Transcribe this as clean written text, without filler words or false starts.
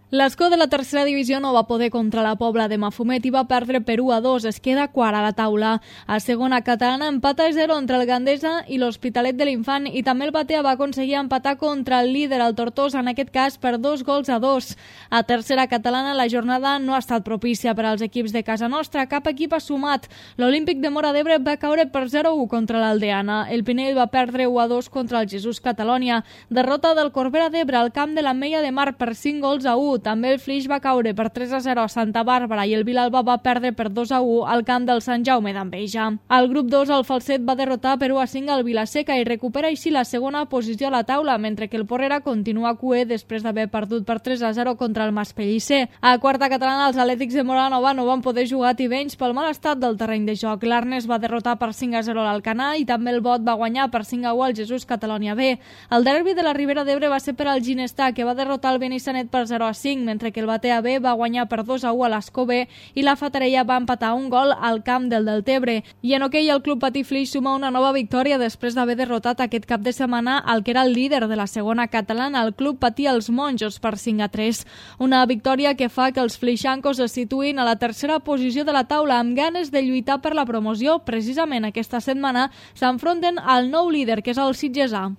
L'escó de la tercera divisió no va poder contra la Pobla de Mafumet i va perdre per 1-2, es queda quart a la taula. A segona catalana empata a 0 entre el Gandesa i l'Hospitalet de l'Infant i també el Batea va aconseguir empatar contra el líder, el Tortosa, en aquest cas per 2-2. A tercera catalana la jornada no ha estat propícia per als equips de casa nostra, cap equip ha sumat. L'Olímpic de Móra d'Ebre va caure per 0-1 contra l'Aldeana. El Pinell va perdre 1-2 contra el Jesús Catalònia. Derrota del Corbera d'Ebre al camp de l'Ametlla de Mar per 5-1. També el Flix va caure per 3-0 a Santa Bàrbara i el Vilalba va perdre per 2-1 al camp del Sant Jaume d'Enveja. Al grup 2 el Falset va derrotar per 1-5 al Vilaseca i recupera així la segona posició a la taula, mentre que el Porrera continua cuer després d'haver perdut per 3-0 contra el Maspellisser. A quarta catalana els Atlètics de Moranova no van poder jugar a Tivenys pel mal estat del terreny de joc. L'Arnes va derrotar per 5-0 l'Alcanar i també el Bot va guanyar per 5-1 al Jesús Catalònia B. El derbi de la Ribera d'Ebre va ser per al Ginestar, que va derrotar el Benissanet per 0-5, mentre que el Batea B va guanyar per 2-1 a l'Escó B i la Fatarella va empatar un gol al camp del Deltebre. I en hoquei el Club Patí Flix suma una nova victòria després d'haver derrotat aquest cap de setmana el que era el líder de la segona catalana, el Club Patí Els Monjos, per 5-3. Una victòria que fa que els flixancos es situïn a la tercera posició de la taula amb ganes de lluitar per la promoció. Precisament aquesta setmana s'enfronten al nou líder, que és el sitgesà.